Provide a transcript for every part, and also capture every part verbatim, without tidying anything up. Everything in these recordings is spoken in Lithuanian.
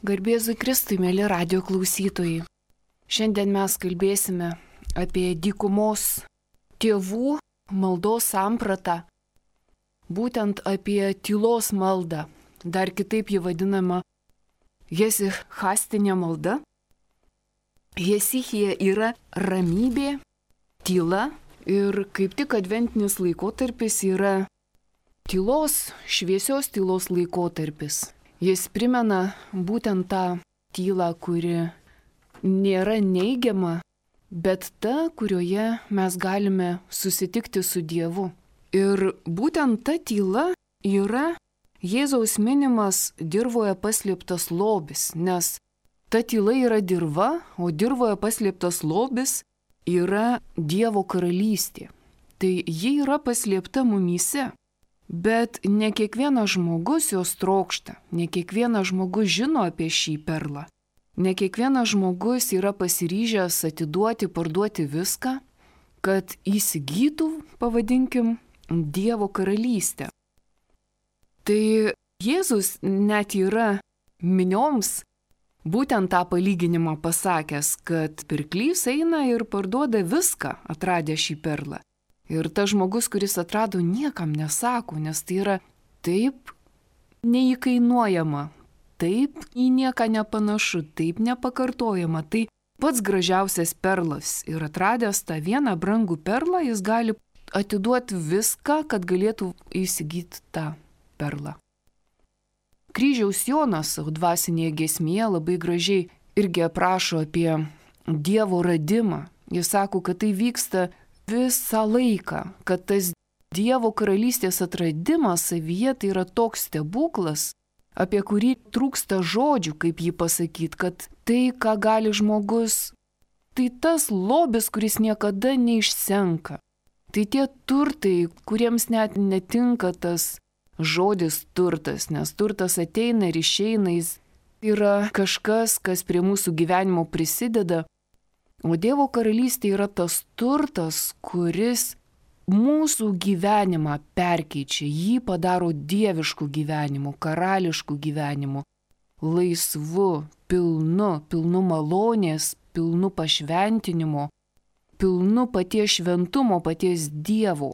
Garbėzui Kristui, mėly radio klausytojai. Šiandien mes kalbėsime apie dykumos tėvų maldos sampratą, būtent apie tylos maldą, dar kitaip ji vadinama jesichastinė malda. Jesichija yra ramybė, tyla ir kaip tik adventinis laikotarpis yra tylos, šviesios tylos laikotarpis. Jis primena būtent tą tylą, kuri nėra neigiama, bet ta, kurioje mes galime susitikti su Dievu. Ir būtent ta tyla yra Jėzaus minimas dirvoje paslėptas lobis, nes ta tyla yra dirva, o dirvoje paslėptas lobis yra Dievo karalystė. Tai ji yra paslėpta mumyse. Bet ne kiekvienas žmogus jos trokšta, ne kiekvienas žmogus žino apie šį perlą, ne kiekvienas žmogus yra pasiryžęs atiduoti, parduoti viską, kad įsigytų, pavadinkim, Dievo karalystę. Tai Jėzus net yra minioms būtent tą palyginimą pasakęs, kad pirklys eina ir parduoda viską, atradę šį perlą. Ir tas žmogus, kuris atrado, niekam nesako, nes tai yra taip neįkainuojama, taip į nieką nepanašu, taip nepakartojama. Tai pats gražiausias perlas. Ir atradęs tą vieną brangų perlą, jis gali atiduoti viską, kad galėtų įsigyti tą perlą. Kryžiaus Jonas savo dvasinėje giesmėje labai gražiai irgi aprašo apie Dievo radimą. Jis sako, kad tai vyksta visą laiką, kad tas Dievo karalystės atradimas savyje tai yra toks stebuklas, apie kurį trūksta žodžių, kaip jį pasakyti, kad tai, ką gali žmogus, tai tas lobis, kuris niekada neišsenka. Tai tie turtai, kuriems net netinka tas žodis turtas, nes turtas ateina ir išeina, jis yra kažkas, kas prie mūsų gyvenimo prisideda. O Dievo karalystė yra tas turtas, kuris mūsų gyvenimą perkeičia, jį padaro dievišku gyvenimu, karališku gyvenimu, laisvu, pilnu, pilnu malonės, pilnu pašventinimo, pilnu paties šventumo, paties Dievo.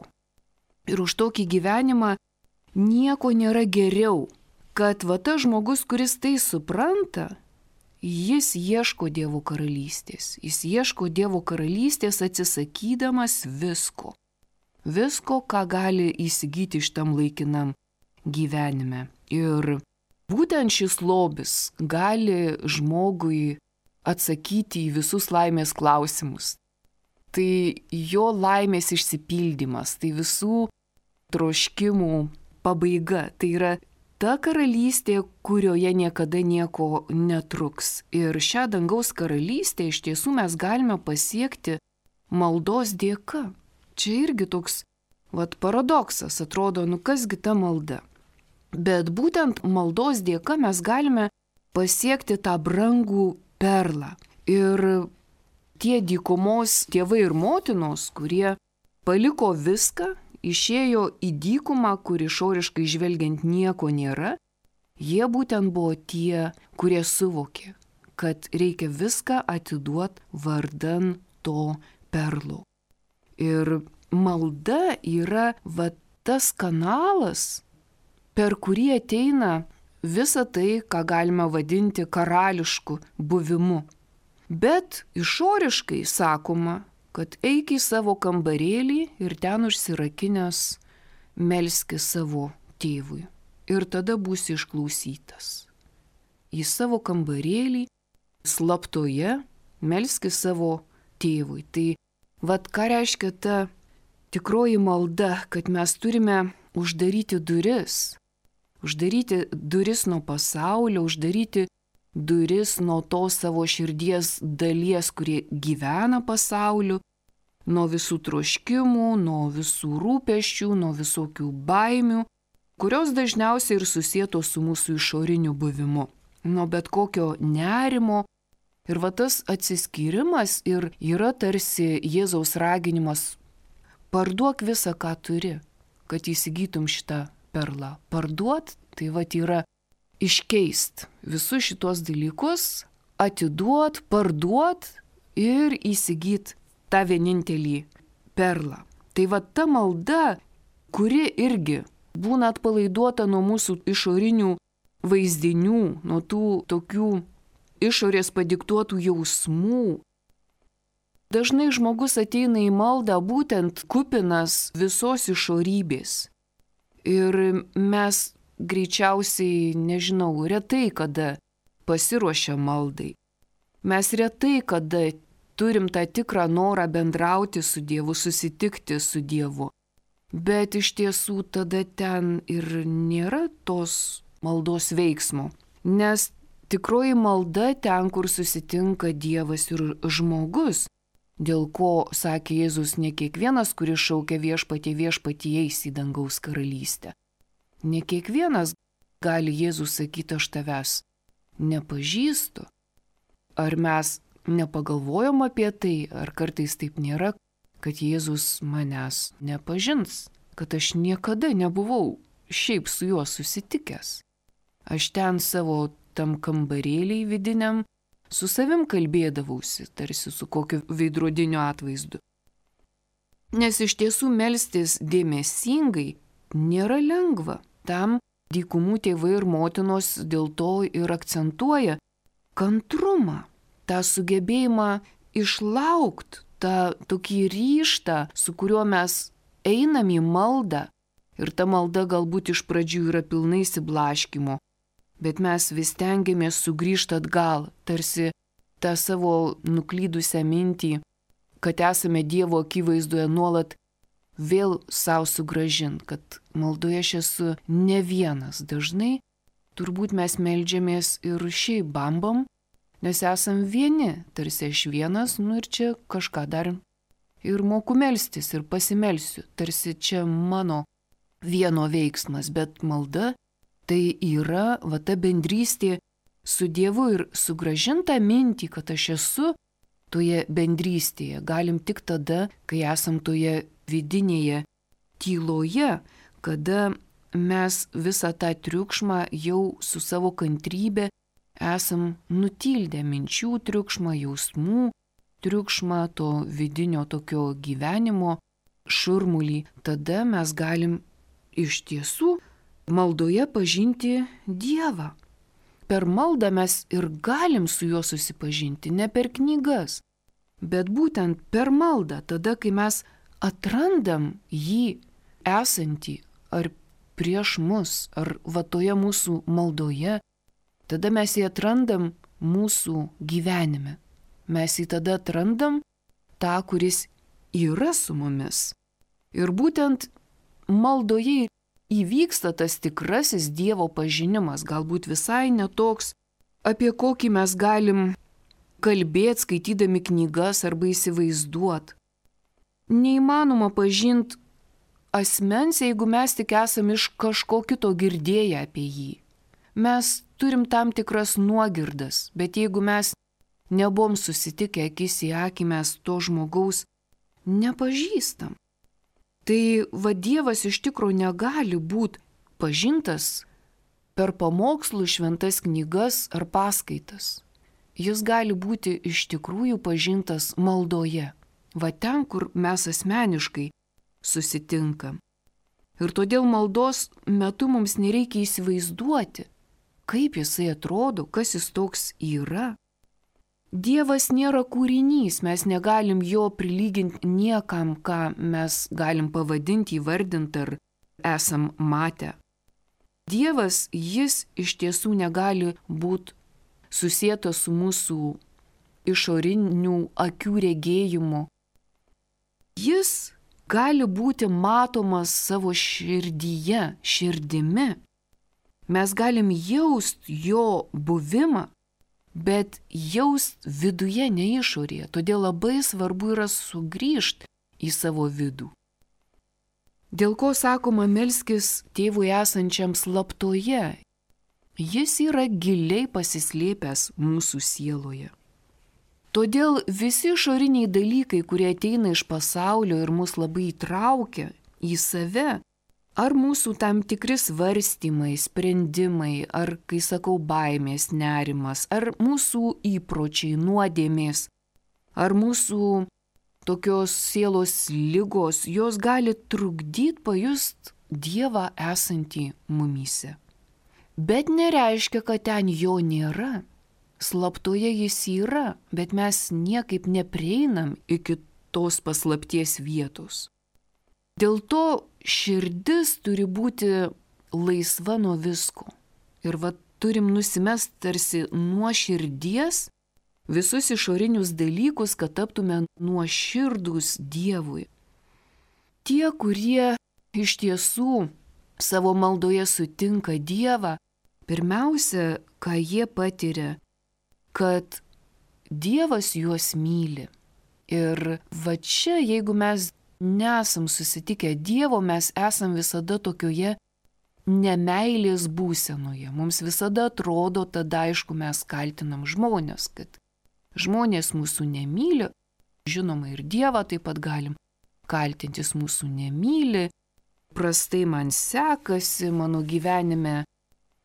Ir už tokį gyvenimą nieko nėra geriau, kad va tas žmogus, kuris tai supranta, jis ieško Dievo karalystės. Jis ieško Dievo karalystės atsisakydamas visko. Visko, ką gali įsigyti šitam laikinam gyvenime. Ir būtent šis lobis gali žmogui atsakyti į visus laimės klausimus. Tai jo laimės išsipildymas, tai visų troškimų pabaiga. Tai yra ta karalystė, kurioje niekada nieko netruks. Ir šią dangaus karalystę iš tiesų mes galime pasiekti maldos dėka. Čia irgi toks vat, paradoksas, atrodo, nu kasgi ta malda. Bet būtent maldos dėka mes galime pasiekti tą brangų perlą. Ir tie dykumos tėvai ir motinos, kurie paliko viską, išėjo į dykumą, kur išoriškai žvelgiant nieko nėra, jie būtent buvo tie, kurie suvokė, kad reikia viską atiduoti vardan to perlo. Ir malda yra va, tas kanalas, per kurį ateina visa tai, ką galima vadinti karališku buvimu. Bet išoriškai sakoma, kad eik į savo kambarėlį ir ten užsirakinęs melski savo tėvui. Ir tada būsi išklausytas. Į savo kambarėlį slaptoje melski savo tėvui. Tai vat ką reiškia ta tikroji malda, kad mes turime uždaryti duris. Uždaryti duris nuo pasaulio, uždaryti duris nuo tos savo širdies dalies, kurie gyvena pasauliu, nuo visų troškimų, nuo visų rūpesčių, nuo visokių baimių, kurios dažniausiai ir susietos su mūsų išoriniu buvimu, nuo bet kokio nerimo. Ir va tas atsiskyrimas ir yra tarsi Jėzaus raginimas: parduok visą, ką turi, kad įsigytum šitą perlą. Parduot, tai va yra iškeist visus šitos dalykus, atiduot, parduot ir įsigyt tą vienintelį perlą. Tai va ta malda, kuri irgi būna atpalaiduota nuo mūsų išorinių vaizdinių, nuo tų tokių išorės padiktuotų jausmų. Dažnai žmogus ateina į maldą būtent kupinas visos išorybės. Ir mes greičiausiai, nežinau, retai kada pasiruošia maldai. Mes retai kada turim tą tikrą norą bendrauti su Dievu, susitikti su Dievu. Bet iš tiesų tada ten ir nėra tos maldos veiksmo. Nes tikroji malda ten, kur susitinka Dievas ir žmogus. Dėl ko, sakė Jėzus, ne kiekvienas, kuris šaukia viešpatie, viešpatie eis į dangaus karalystę. Ne kiekvienas gali Jėzus sakyti, aš tavęs nepažįstu. Ar mes nepagalvojom apie tai, ar kartais taip nėra, kad Jėzus manęs nepažins, kad aš niekada nebuvau šiaip su juo susitikęs. Aš ten savo tam kambarėliai vidiniam su savim kalbėdavausi, tarsi su kokiu veidrodiniu atvaizdu. Nes iš tiesų melstis dėmesingai nėra lengva. Tam dykumų tėvai ir motinos dėl to ir akcentuoja kantrumą, tą sugebėjimą išlaukti, tą tokį ryžtą, su kuriuo mes einam į maldą. Ir ta malda galbūt iš pradžių yra pilnai išsiblaškymo. Bet mes vis tengiamės sugrįžti atgal, tarsi tą savo nuklydusią mintį, kad esame Dievo akivaizdoje nuolat vėl savo sugražint, kad maldoje aš esu ne vienas. Dažnai turbūt mes meldžiamės ir šiaip bambam, nes esam vieni, tarsi aš vienas, nu ir čia kažką dar ir moku melstis ir pasimelsiu, tarsi čia mano vieno veiksmas, bet malda tai yra va ta bendrystė su Dievu ir sugrąžinta mintį, kad aš esu toje bendrystėje. Galim tik tada, kai esam toje vidinėje tyloje, kada mes visą tą triukšmą jau su savo kantrybė esam nutildę minčių triukšmą, jausmų triukšmą, to vidinio tokio gyvenimo šurmulį. Tada mes galim iš tiesų maldoje pažinti Dievą. Per maldą mes ir galim su juo susipažinti, ne per knygas, bet būtent per maldą, tada, kai mes atrandam jį esantį ar prieš mus, ar va toje mūsų maldoje, tada mes jį atrandam mūsų gyvenime. Mes jį tada atrandam tą, kuris yra su mumis. Ir būtent maldoje įvyksta tas tikrasis Dievo pažinimas, galbūt visai netoks, apie kokį mes galim kalbėti, skaitydami knygas arba įsivaizduot. Neįmanoma pažinti asmens, jeigu mes tik esam iš kažko kito girdėję apie jį. Mes turim tam tikras nuogirdas, bet jeigu mes nebuvom susitikę akis į akį, mes to žmogaus nepažįstam. Tai va Dievas iš tikrųjų negali būti pažintas per pamokslų, šventas knygas ar paskaitas. Jis gali būti iš tikrųjų pažintas maldoje, va ten, kur mes asmeniškai susitinkam. Ir todėl maldos metu mums nereikia įsivaizduoti, kaip jisai atrodo, kas jis toks yra. Dievas nėra kūrinys, mes negalim jo prilyginti niekam, ką mes galim pavadinti, įvardinti ar esam matę. Dievas, jis iš tiesų negali būti susietas su mūsų išorinių akių regėjimu. Jis gali būti matomas savo širdyje, širdimi. Mes galim jausti jo buvimą, bet jaust viduje, ne išorėje. Todėl labai svarbu yra sugrįžti į savo vidų. Dėl ko sakoma melskis tėvui esančiam slaptoje? Jis yra giliai pasislėpęs mūsų sieloje. Todėl visi išoriniai dalykai, kurie ateina iš pasaulio ir mus labai įtraukia į save, Ar mūsų tam tikri svarstymai, sprendimai, ar, kai sakau, baimės, nerimas, ar mūsų įpročiai, nuodėmės, ar mūsų tokios sielos ligos, jos gali trukdyti pajust Dievą esantį mumyse. Bet nereiškia, kad ten jo nėra. Slaptoje jis yra, bet mes niekaip neprieinam iki tos paslapties vietos. Dėl to širdis turi būti laisva nuo visko. Ir va turim nusimest tarsi nuo širdies visus išorinius dalykus, kad taptume nuoširdūs Dievui. Tie, kurie iš tiesų savo maldoje sutinka Dievą, pirmiausia, ką jie patiria, kad Dievas juos myli. Ir va čia, jeigu mes nesam susitikę Dievo, mes esam visada tokioje nemeilės būsenoje. Mums visada atrodo, tada aišku mes kaltinam žmonės, kad žmonės mūsų nemyli, žinoma ir Dievą taip pat galim kaltintis, mūsų nemyli, prastai man sekasi, mano gyvenime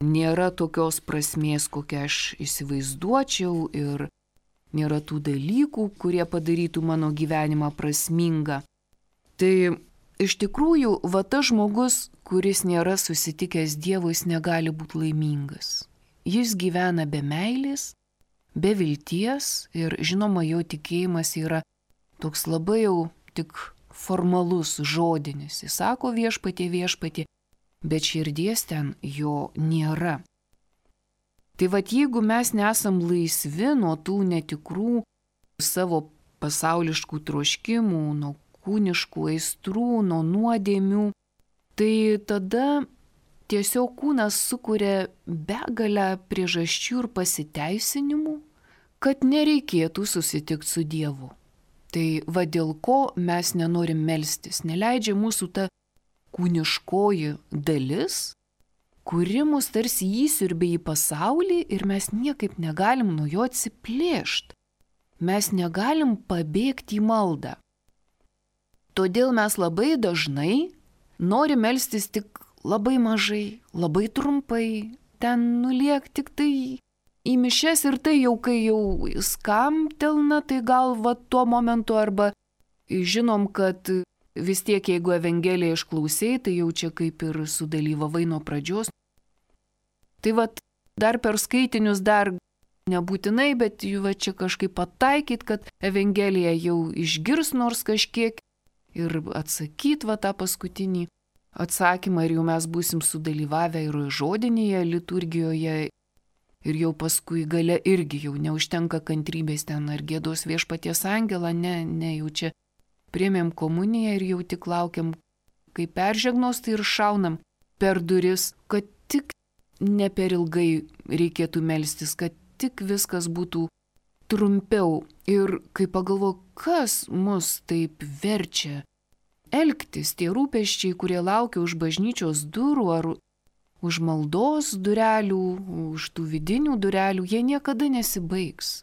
nėra tokios prasmės, kokią aš įsivaizduočiau ir nėra tų dalykų, kurie padarytų mano gyvenimą prasmingą. Tai iš tikrųjų, va tas žmogus, kuris nėra susitikęs Dievu, jis negali būti laimingas. Jis gyvena be meilės, be vilties ir žinoma, jo tikėjimas yra toks labai jau tik formalus, žodinis. Jis sako viešpatie, viešpatie, bet širdies ten jo nėra. Tai vat jeigu mes nesam laisvi nuo tų netikrų savo pasauliškų troškimų, nuo kūniškų aistrų, nuo nuodėmių, tai tada tiesiog kūnas sukuria begalę priežasčių ir pasiteisinimų, kad nereikėtų susitikti su Dievu. Tai va dėl ko mes nenorim melstis, neleidžia mūsų ta kūniškoji dalis, kuri mus tarsi įsiurbia į pasaulį ir mes niekaip negalim nuo jo atsiplėšti. Mes negalim pabėgti į maldą. Todėl mes labai dažnai norim melstis tik labai mažai, labai trumpai, ten nuliek tik tai į mišias ir tai jau, kai jau skamtelna, tai gal va tuo momentu arba žinom, kad vis tiek, jeigu Evangeliją išklausai, tai jau čia kaip ir sudalyvavai nuo pradžios. Tai va dar per skaitinius dar nebūtinai, bet va čia kažkaip pataikyt, kad Evangeliją jau išgirs nors kažkiek ir atsakyt va tą paskutinį atsakymą ir jau mes būsim sudalyvavę ir žodinėje liturgijoje. Ir jau paskui gale irgi jau neužtenka kantrybės ten ar gėdos viešpaties angelą, ne, ne, jau čia priėmėm komuniją ir jau tik laukiam, kai peržegnos, tai ir šaunam per duris, kad tik ne per ilgai reikėtų melstis, kad tik viskas būtų trumpiau. Ir kai pagalvoju, kas mus taip verčia elgtis, tie rūpesčiai, kurie laukia už bažnyčios durų ar už maldos durelių, už tų vidinių durelių, jie niekada nesibaigs.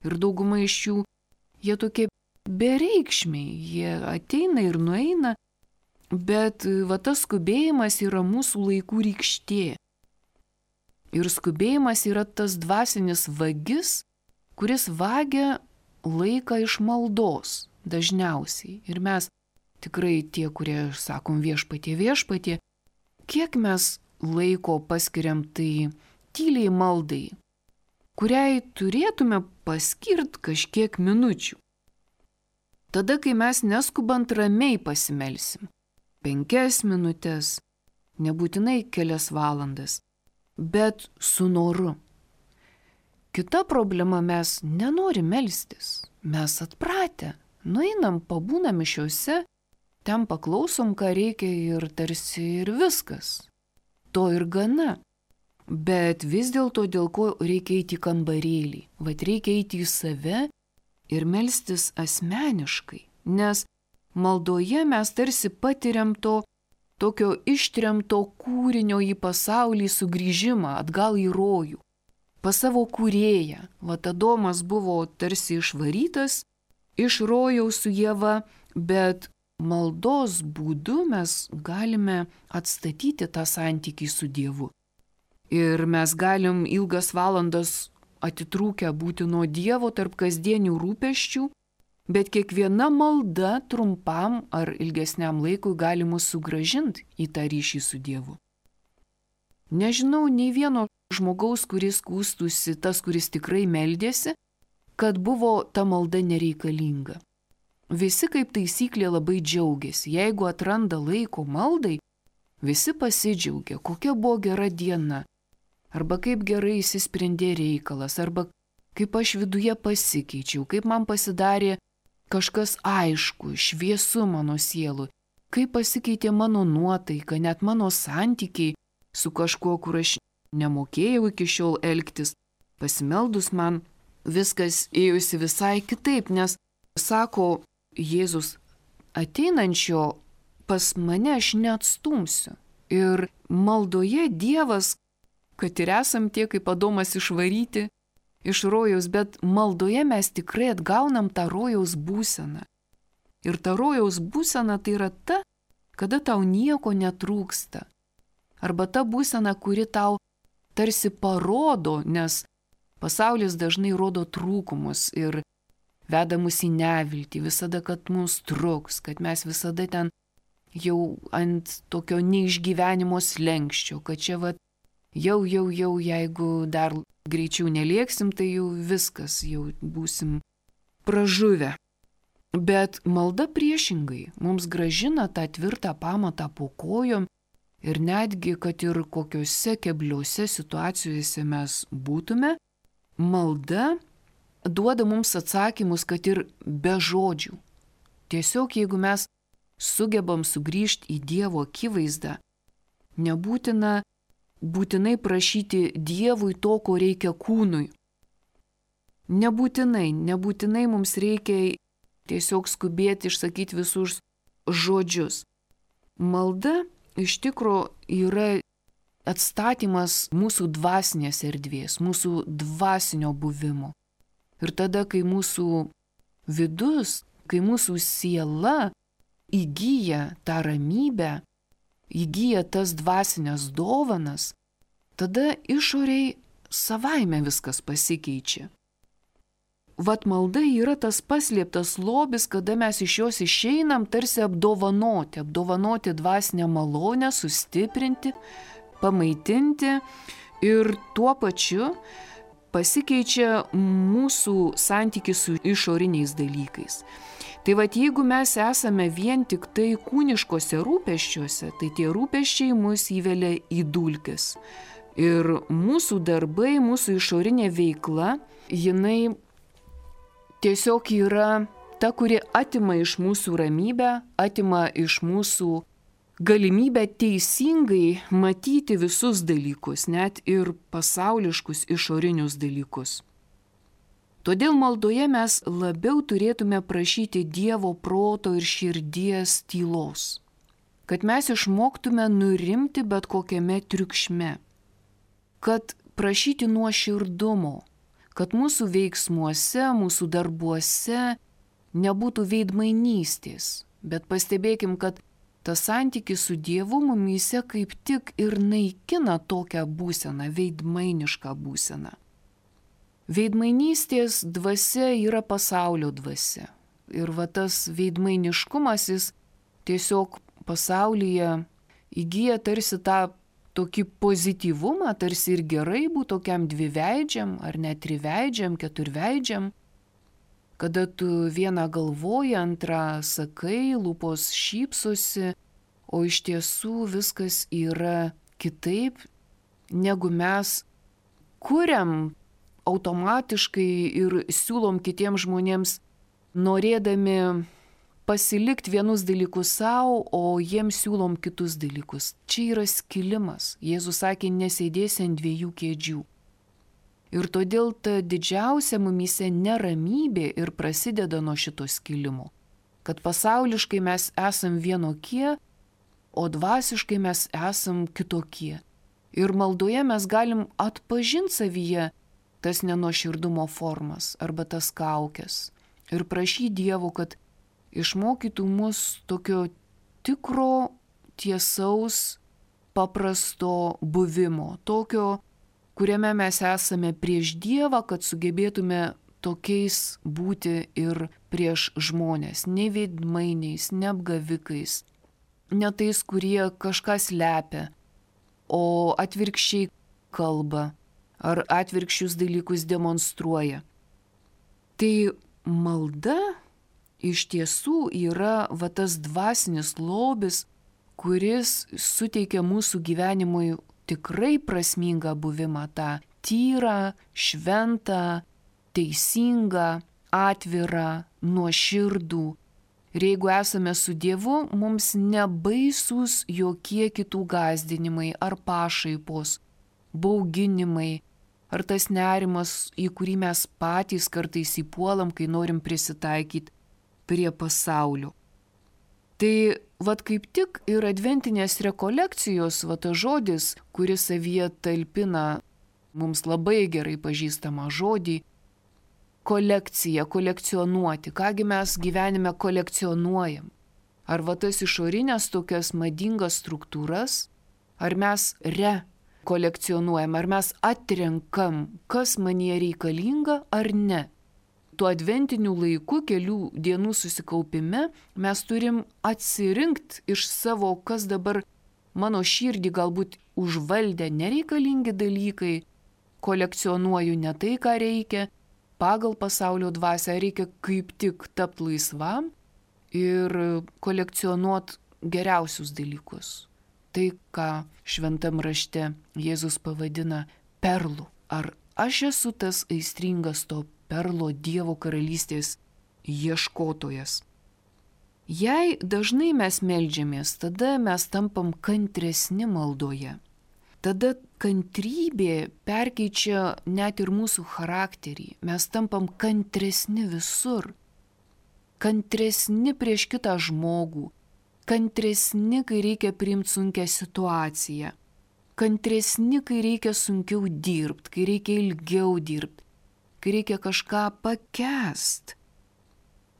Ir dauguma iš jų, jie tokie bereikšmiai, jie ateina ir nueina, bet va tas skubėjimas yra mūsų laikų rykštė. Ir skubėjimas yra tas dvasinis vagis, kuris vagia laiką iš maldos dažniausiai. Ir mes tikrai tie, kurie sakom viešpatie, viešpatie, kiek mes laiko paskiriam tai tyliai maldai, kuriai turėtume paskirt kažkiek minučių. Tada, kai mes neskubant ramiai pasimelsim, penkias minutės, nebūtinai kelias valandas, bet su noru. Kita problema, mes nenorim melstis, mes atpratę, nueinam, pabūnam mišiose, ten paklausom, ką reikia ir tarsi ir viskas. To ir gana. Bet vis dėlto, dėl ko reikia eiti į kambarėlį. Vat reikia eiti į save ir melstis asmeniškai. Nes maldoje mes tarsi patiriam to tokio ištremto kūrinio į pasaulį sugrįžimą atgal į rojų. Pas savo kūrėją. Vat Adomas buvo tarsi išvarytas iš rojaus su Ieva, bet maldos būdu mes galime atstatyti tą santykį su Dievu. Ir mes galim ilgas valandas atitrūkę būti nuo Dievo tarp kasdienių rūpesčių, bet kiekviena malda trumpam ar ilgesniam laikui gali mus sugrąžinti į tą ryšį su Dievu. Nežinau nei vieno žmogaus, kuris skųstųsi, tas, kuris tikrai meldėsi, kad buvo ta malda nereikalinga. Visi kaip taisyklė labai džiaugiasi. Jeigu atranda laiko maldai, visi pasidžiaugia, kokia buvo gera diena, arba kaip gerai įsisprendė reikalas, arba kaip aš viduje pasikeičiau, kaip man pasidarė kažkas aišku, šviesu mano sielui, kaip pasikeitė mano nuotaika, net mano santykiai su kažkuo, kur aš nemokėjau iki šiol elgtis. Pasimeldus man viskas ėjusi visai kitaip, nes, sako Jėzus, ateinančio pas mane aš neatstumsiu. Ir maldoje Dievas, kad ir esam tie kaip Adomas išvaryti iš rojaus, bet maldoje mes tikrai atgaunam tą rojaus būseną. Ir ta rojaus būsena tai yra ta, kada tau nieko netrūksta. Arba ta būsena, kuri tau tarsi parodo, nes pasaulis dažnai rodo trūkumus ir veda mus į neviltį, visada, kad mus truks, kad mes visada ten jau ant tokio neišgyvenimo slenkščio, kad čia va, jau, jau, jau, jeigu dar greičiau nelėksim, tai jau viskas, jau būsim pražuvę. Bet malda priešingai mums gražina tą tvirtą pamatą po kojom ir netgi, kad ir kokiose kebliose situacijose mes būtume, malda duoda mums atsakymus, kad ir be žodžių. Tiesiog jeigu mes sugebam sugrįžti į Dievo akivaizdą, nebūtina būtinai prašyti Dievui to, ko reikia kūnui. Nebūtinai, nebūtinai mums reikia tiesiog skubėti išsakyti visus žodžius. Malda iš tikro yra atstatymas mūsų dvasinės erdvės, mūsų dvasinio buvimo. Ir tada, kai mūsų vidus, kai mūsų siela įgyja tą ramybę, įgyja tas dvasinės dovanas, tada išoriai savaime viskas pasikeičia. Vat malda yra tas paslėptas lobis, kada mes iš jos išeinam tarsi apdovanoti, apdovanoti dvasinę malonę, sustiprinti, pamaitinti ir tuo pačiu pasikeičia mūsų santykis su išoriniais dalykais. Tai vat jeigu mes esame vien tik tai kūniškose rūpesčiuose, tai tie rūpesčiai mus įvelia į dulkes. Ir mūsų darbai, mūsų išorinė veikla, jinai tiesiog yra ta, kuri atima iš mūsų ramybę, atima iš mūsų galimybę teisingai matyti visus dalykus, net ir pasauliškus išorinius dalykus. Todėl maldoje mes labiau turėtume prašyti Dievo proto ir širdies tylos, kad mes išmoktume nurimti bet kokiame triukšme, kad prašyti nuoširdumo, kad mūsų veiksmuose, mūsų darbuose nebūtų veidmainystės, bet pastebėkim, kad tas santykis su Dievu mumyse kaip tik ir naikina tokią būseną, veidmainišką būseną. Veidmainystės dvasia yra pasaulio dvasia. Ir va tas veidmainiškumas, jis tiesiog pasaulyje įgyja tarsi tą tokį pozityvumą, tarsi ir gerai būtų tokiam dviveidžiam, ar net triveidžiam, keturveidžiam, kada tu vieną galvoji, antrą sakai, lūpos šypsosi, o iš tiesų viskas yra kitaip, negu mes kuriam automatiškai ir siūlom kitiems žmonėms, norėdami pasilikti vienus dalykus savo, o jiems siūlom kitus dalykus. Čia yra skilimas. Jėzus sakė, nesėdėsi ant dviejų kėdžių. Ir todėl ta didžiausia mumyse neramybė ir prasideda nuo šito skilimo. Kad pasauliškai mes esam vienokie, o dvasiškai mes esam kitokie. Ir maldoje mes galim atpažinti savyje tas nenuoširdumo formas arba tas kaukes. Ir prašyti Dievo, kad išmokytų mus tokio tikro, tiesaus, paprasto buvimo, tokio, kuriame mes esame prieš Dievą, kad sugebėtume tokiais būti ir prieš žmonės, ne veidmainiais, ne apgavikais, ne tais, kurie kažką slepia, o atvirkščiai kalba ar atvirkščius dalykus demonstruoja. Tai malda iš tiesų yra va tas dvasinis lobis, kuris suteikia mūsų gyvenimui tikrai prasmingą buvimą, tą tyrą, šventą, teisingą, atvirą, nuoširdų. Ir jeigu esame su Dievu, mums nebaisūs jokie kitų gąsdinimai ar pašaipos, bauginimai, ar tas nerimas, į kurį mes patys kartais įpuolam, kai norim prisitaikyti prie pasaulio. Tai vat kaip tik ir adventinės rekolekcijos, vat tas žodis, kuris savyje talpina mums labai gerai pažįstamą žodį, kolekcija, kolekcionuoti. Kągi mes gyvenime kolekcionuojam? Ar va tas išorinės tokias madingas struktūras, ar mes rekolekcionuojam, ar mes atrenkam, kas manyje reikalinga ar ne? Tuo adventiniu laiku, kelių dienų susikaupime, mes turim atsirinkti iš savo, kas dabar mano širdį galbūt užvaldė nereikalingi dalykai, kolekcionuoju ne tai, ką reikia, pagal pasaulio dvasią reikia kaip tik tapti laisvam ir kolekcionuot geriausius dalykus. Tai, ką šventam rašte Jėzus pavadina perlu. Ar aš esu tas aistringas to perlo Dievo karalystės ieškotojas? Jei dažnai mes meldžiamės, tada mes tampam kantresni maldoje. Tada kantrybė perkeičia net ir mūsų charakterį. Mes tampam kantresni visur. Kantresni prieš kitą žmogų. Kantresni, kai reikia priimti sunkią situaciją. Kantresni, kai reikia sunkiau dirbti, kai reikia ilgiau dirbti, kai reikia kažką pakęst.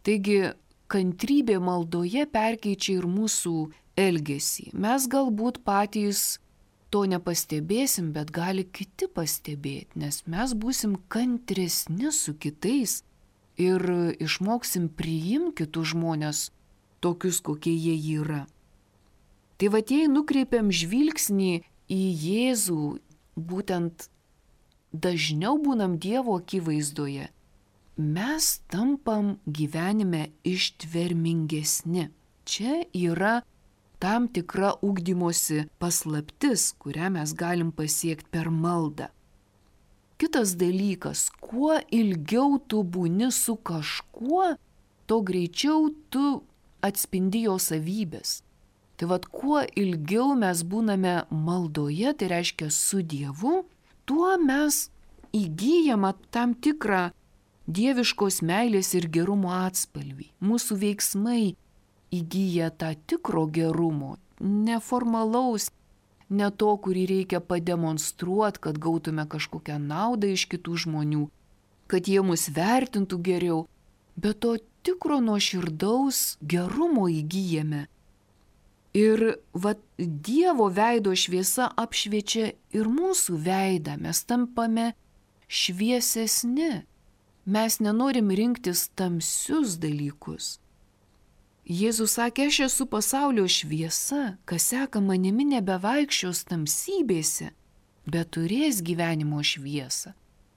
Taigi, kantrybė maldoje perkeičia ir mūsų elgesį. Mes galbūt patys to nepastebėsim, bet gali kiti pastebėti, nes mes būsim kantresni su kitais ir išmoksim priimti kitus žmonės tokius, kokie jie yra. Tai va, jei nukreipiam žvilgsnį į Jėzų, būtent dažniau būnam Dievo akivaizdoje, mes tampam gyvenime ištvermingesni. Čia yra tam tikra ugdymosi paslaptis, kurią mes galim pasiekti per maldą. Kitas dalykas, kuo ilgiau tu būni su kažkuo, to greičiau tu atspindi jo savybės. Tai vad, kuo ilgiau mes būname maldoje, tai reiškia su Dievu, tuo mes įgyjame tam tikrą dieviškos meilės ir gerumo atspalvį. Mūsų veiksmai įgyja tą tikro gerumo, neformalaus, ne to, kurį reikia pademonstruoti, kad gautume kažkokią naudą iš kitų žmonių, kad jie mus vertintų geriau, bet to tikro nuoširdaus gerumo įgyjame. Ir va, Dievo veido šviesa apšviečia ir mūsų veidą, mes tampame šviesesni. Mes nenorim rinktis tamsius dalykus. Jėzus sakė, aš esu pasaulio šviesa, kas seka manimi nebevaikščios tamsybėse, bet turės gyvenimo šviesą.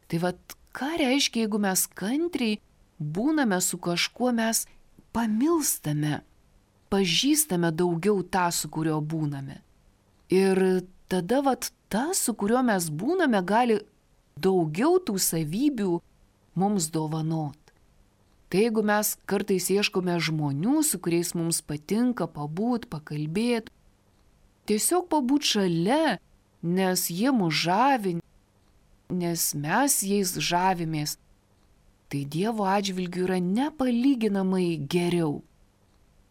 Tai vad, ką reiškia, jeigu mes kantriai būname su kažkuo, mes pamilstame, pažįstame daugiau tą, su kuriuo būname. Ir tada vat, tas, su kuriuo mes būname, gali daugiau tų savybių mums dovanot. Tai jeigu mes kartais ieškome žmonių, su kuriais mums patinka pabūt, pakalbėti, tiesiog pabūt šalia, nes jie mus žavi, nes mes jais žavimės, tai Dievo atžvilgiu yra nepalyginamai geriau.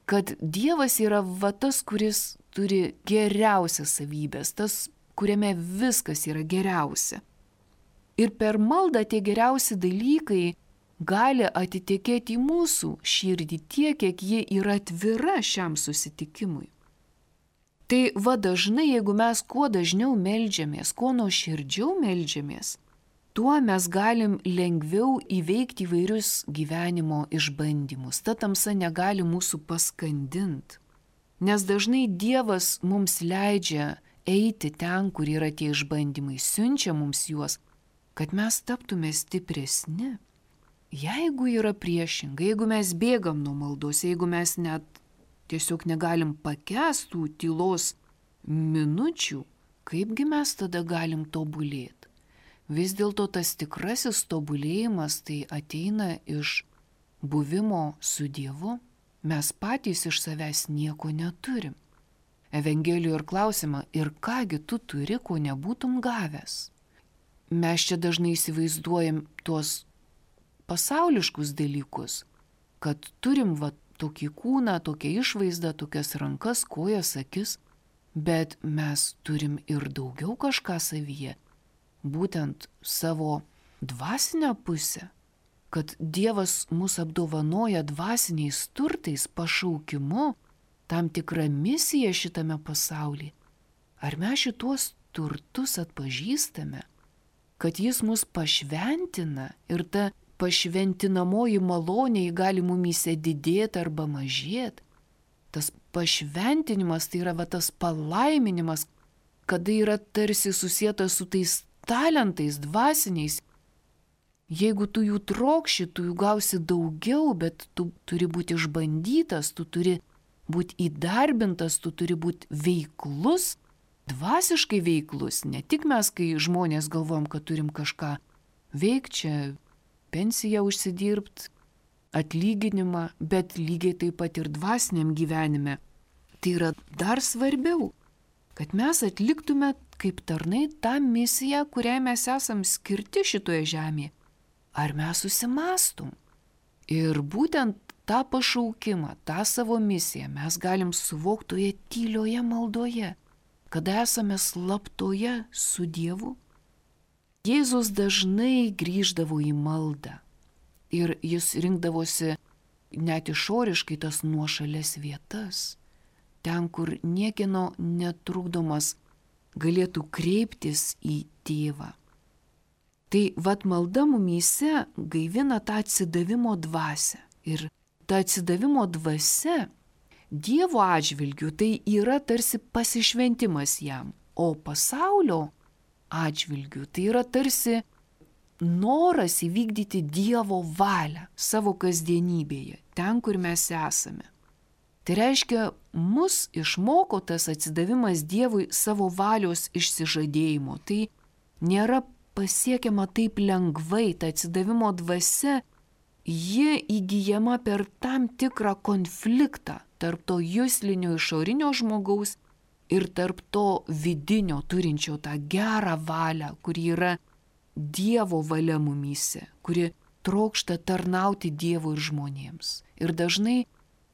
Kad Dievas yra va tas, kuris turi geriausias savybės, tas, kuriame viskas yra geriausia. Ir per maldą tie geriausi dalykai gali atitekėti į mūsų širdį tiek, kiek ji yra atvira šiam susitikimui. Tai va dažnai, jeigu mes kuo dažniau meldžiamės, kuo nuoširdžiau meldžiamės, tuo mes galim lengviau įveikti įvairius gyvenimo išbandymus. Ta tamsa negali mūsų paskandinti. Nes dažnai Dievas mums leidžia eiti ten, kur yra tie išbandymai, siunčia mums juos, kad mes taptume stipresni. Jeigu yra priešingai, jeigu mes bėgam nuo maldos, jeigu mes net tiesiog negalim pakęstų tylos minučių, kaipgi mes tada galim tobulėti? Vis dėlto tas tikrasis tobulėjimas tai ateina iš buvimo su Dievu. Mes patys iš savęs nieko neturim. Evangelijoje ir klausima, ir kągi tu turi, ko nebūtum gavęs. Mes čia dažnai įsivaizduojam tuos pasauliškus dalykus, kad turim va tokį kūną, tokią išvaizdą, tokias rankas, kojas, akis, bet mes turim ir daugiau kažką savyje, būtent savo dvasinę pusę, kad Dievas mus apdovanoja dvasiniais turtais, pašaukimu, tam tikrą misiją šitame pasaulyje. Ar mes šituos turtus atpažįstame, kad Jis mus pašventina ir ta pašventinamoji malonė gali mumyse didėti arba mažėti? Tas pašventinimas tai yra va tas palaiminimas, kada yra tarsi susietas su tais talentais dvasiniais. Jeigu tu jų trokši, tu jų gausi daugiau, bet tu turi būti išbandytas, tu turi būti įdarbintas, tu turi būti veiklus, dvasiškai veiklus. Ne tik mes, kai žmonės galvom, kad turim kažką veikti, čia pensiją užsidirbt, atlyginimą, bet lygiai taip pat ir dvasiniam gyvenime. Tai yra dar svarbiau, kad mes atliktume kaip tarnai tą misiją, kuriai mes esam skirti šitoje žemėje. Ar mes susimastum? Ir būtent tą pašaukimą, tą savo misiją mes galim suvokti toje tylioje maldoje, kada esame slaptoje su Dievu. Jėzus dažnai grįždavo į maldą ir jis rinkdavosi net išoriškai tas nuošalės vietas, ten, kur niekieno netrukdomas galėtų kreiptis į Tėvą. Tai vat malda mumyse gaivina tą atsidavimo dvasią. Ir ta atsidavimo dvasia Dievo atžvilgių tai yra tarsi pasišventimas jam, o pasaulio atžvilgių tai yra tarsi noras įvykdyti Dievo valią savo kasdienybėje, ten, kur mes esame. Tai reiškia, mus išmoko tas atsidavimas Dievui savo valios išsižadėjimo. Tai nėra pasiekiama taip lengvai, ta atsidavimo dvasia, ji įgyjama per tam tikrą konfliktą tarp to juslinio išorinio žmogaus ir tarp to vidinio turinčio tą gerą valią, kuri yra Dievo valia mumyse, kuri trokšta tarnauti Dievui ir žmonėms. Ir dažnai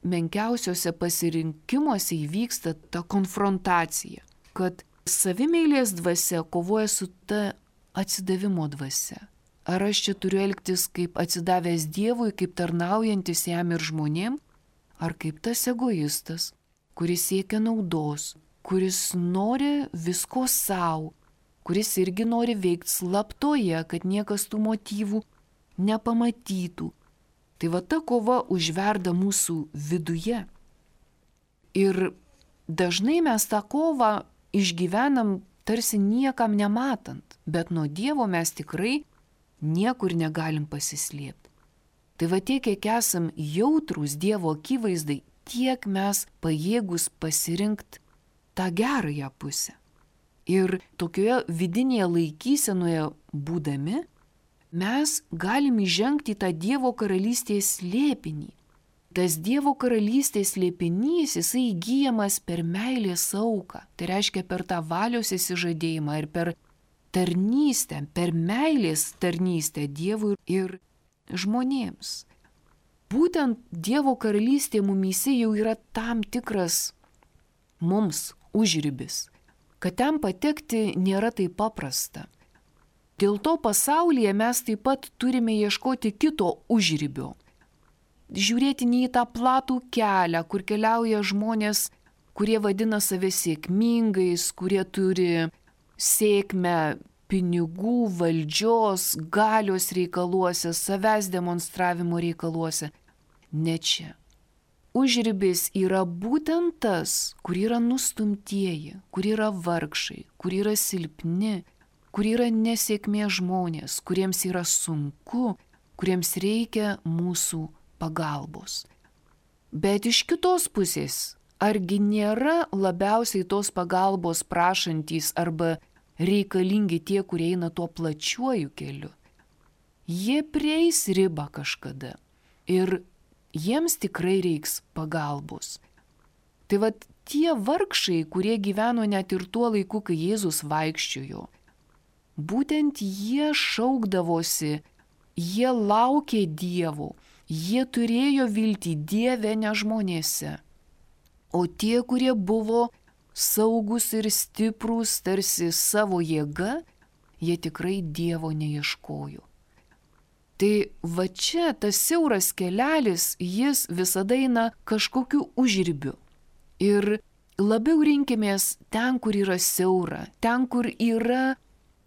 menkiausiuose pasirinkimuose įvyksta ta konfrontacija, kad savimeilės dvasia kovoja su ta atsidavimo dvasia. Ar aš čia turiu elgtis kaip atsidavęs Dievui, kaip tarnaujantis jam ir žmonėm, ar kaip tas egoistas, kuris siekia naudos, kuris nori visko savo, kuris irgi nori veikti slaptoje, kad niekas tų motyvų nepamatytų. Tai va ta kova užverda mūsų viduje. Ir dažnai mes tą kovą išgyvenam tarsi niekam nematant, bet nuo Dievo mes tikrai niekur negalim pasislėpti. Tai va tiek, kiek esam jautrūs Dievo akivaizdai, tiek mes pajėgus pasirinkti tą gerąją pusę. Ir tokioje vidinėje laikysenoje būdami, mes galim įžengti į tą Dievo karalystės slėpinį. Tas Dievo karalystės slėpinys, jisai įgyjamas per meilės auką. Tai reiškia per tą valios įsižadėjimą ir per tarnystę, per meilės tarnystę Dievui ir žmonėms. Būtent Dievo karalystė mumyse jau yra tam tikras mums užribis, kad ten patekti nėra taip paprasta. Dėl to pasaulyje mes taip pat turime ieškoti kito užribio. Žiūrėti ne į tą platų kelią, kur keliauja žmonės, kurie vadina save sėkmingais, kurie turi sėkmę pinigų, valdžios, galios reikaluose, savęs demonstravimo reikaluose. Ne čia. Užribis yra būtent tas, kur yra nustumtieji, kur yra vargšai, kur yra silpni, kur yra nesėkmė žmonės, kuriems yra sunku, kuriems reikia mūsų pagalbos. Bet iš kitos pusės, argi nėra labiausiai tos pagalbos prašantys arba reikalingi tie, kurie eina tuo plačiuoju keliu? Jie prieis ribą kažkada ir jiems tikrai reiks pagalbos. Tai vat tie vargšai, kurie gyveno net ir tuo laiku, kai Jėzus vaikščiojo, būtent jie šaukdavosi, jie laukė Dievo, jie turėjo viltį Dieve, ne žmonėse. O tie, kurie buvo saugus ir stiprūs tarsi savo jėga, jie tikrai Dievo neieškojo. Tai va čia tas siauras kelelis, jis visada eina kažkokiu užribiu. Ir labiau rinkimės ten, kur yra siaura, ten, kur yra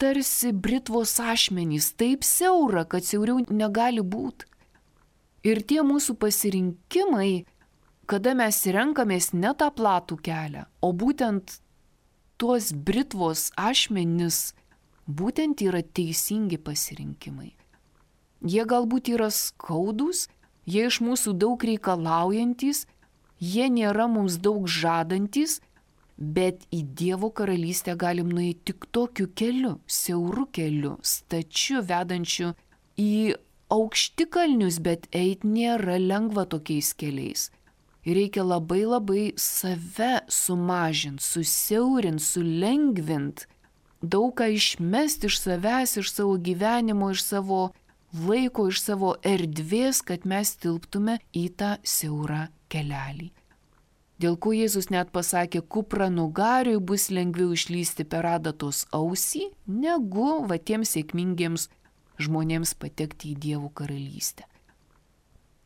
tarsi britvos ašmenys, taip siaura, kad siauriau negali būti. Ir tie mūsų pasirinkimai, kada mes renkamės ne tą platų kelią, o būtent tuos britvos ašmenis, būtent yra teisingi pasirinkimai. Jie galbūt yra skaudus, jie iš mūsų daug reikalaujantis, jie nėra mums daug žadantis, bet į Dievo karalystę galim nueiti tik tokiu keliu, siauru keliu, stačiu, vedančiu į aukštikalnius, bet eit nėra lengva tokiais keliais. Reikia labai labai save sumažinti, susiaurinti, sulengvinti, daug ką išmesti iš savęs, iš savo gyvenimo, iš savo laiko, iš savo erdvės, kad mes tilptume į tą siaurą kelelį. Dėl ko Jėzus net pasakė, kupranugariui bus lengviau išlysti per adatos ausį, negu va tiems sėkmingiems žmonėms patekti į Dievo karalystę.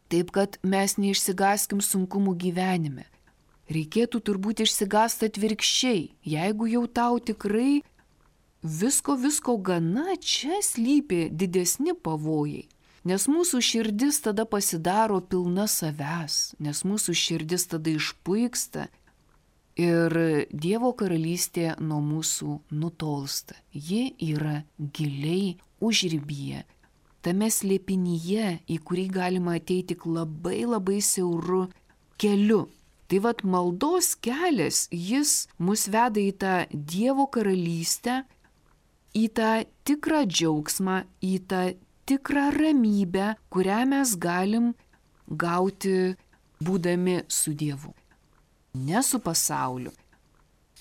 Taip, kad mes neišsigaskim sunkumų gyvenime. Reikėtų turbūt išsigąsti atvirkščiai, jeigu jau tau tikrai visko, visko gana, čia slypi didesni pavojai. Nes mūsų širdis tada pasidaro pilna savęs, nes mūsų širdis tada išpuiksta ir Dievo karalystė nuo mūsų nutolsta. Ji yra giliai užribyje, tame slėpinyje, į kurį galima ateiti tik labai labai siauru keliu. Tai vat maldos kelias, jis mus veda į tą Dievo karalystę, į tą tikrą džiaugsmą, į tą tikrą ramybę, kurią mes galim gauti būdami su Dievu, ne su pasauliu.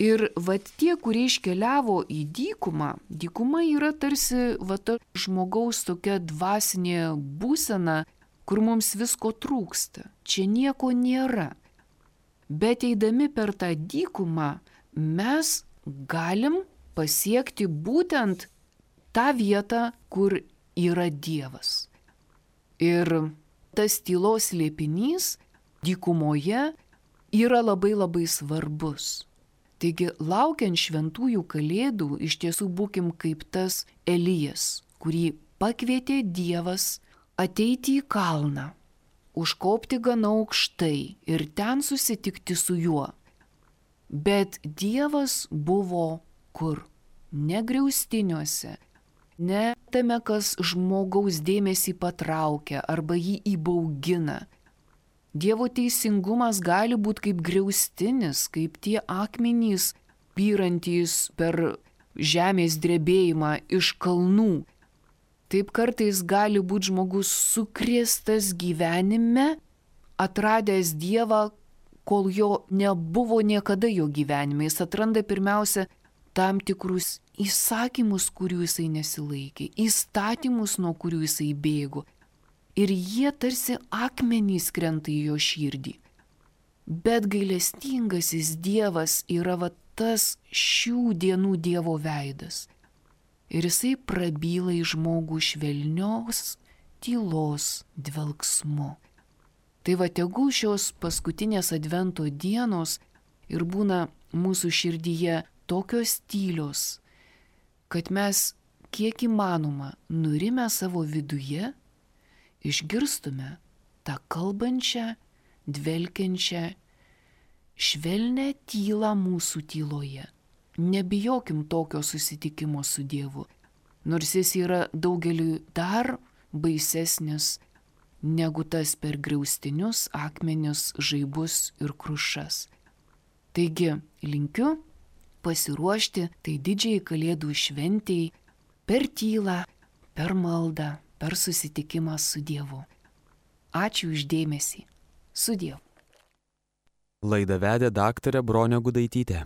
Ir vat tie, kurie iškeliavo į dykumą, dykuma yra tarsi vat žmogaus tokia dvasinė būsena, kur mums visko trūksta, čia nieko nėra. Bet eidami per tą dykumą mes galim pasiekti būtent tą vietą, kur yra Dievas. Ir tas tylos slėpinys dykumoje yra labai labai svarbus. Taigi, laukiant šventųjų kalėdų, iš tiesų būkim kaip tas Elijas, kurį pakvietė Dievas ateiti į kalną, užkopti gana aukštai ir ten susitikti su juo. Bet Dievas buvo kur? Ne griaustiniuose, ne tame, kas žmogaus dėmesį patraukia arba jį įbaugina. Dievo teisingumas gali būti kaip griaustinis, kaip tie akmenys pyrantys per žemės drebėjimą iš kalnų. Taip kartais gali būti žmogus sukrėstas gyvenime, atradęs Dievą, kol jo nebuvo niekada jo gyvenime. Jis atranda pirmiausia tam tikrus įsakymus, kurių jisai nesilaikė, įstatymus, nuo kurių jisai bėgo. Ir jie tarsi akmenys krenta į jo širdį. Bet gailestingasis Dievas yra va tas šių dienų Dievo veidas. ir jisai prabyla į žmogų švelnios tylos dvelksmu. Tai va tegul šios paskutinės advento dienos ir būna mūsų širdyje tokios tylios, kad mes kiek įmanoma nurimę savo viduje išgirstume tą kalbančią, dvelkiančią, švelnę tylą mūsų tyloje. Nebijokim tokio susitikimo su Dievu, nors jis yra daugeliui dar baisesnis negu tas per griaustinius, akmenis, žaibus ir krušas. Taigi, linkiu pasiruošti tai didžiai Kalėdų šventei per tylą, per maldą, per susitikimą su Dievu. Ačiū už dėmesį. Su Dievu. Laidą vedė daktarė Bronė Gudaitytė.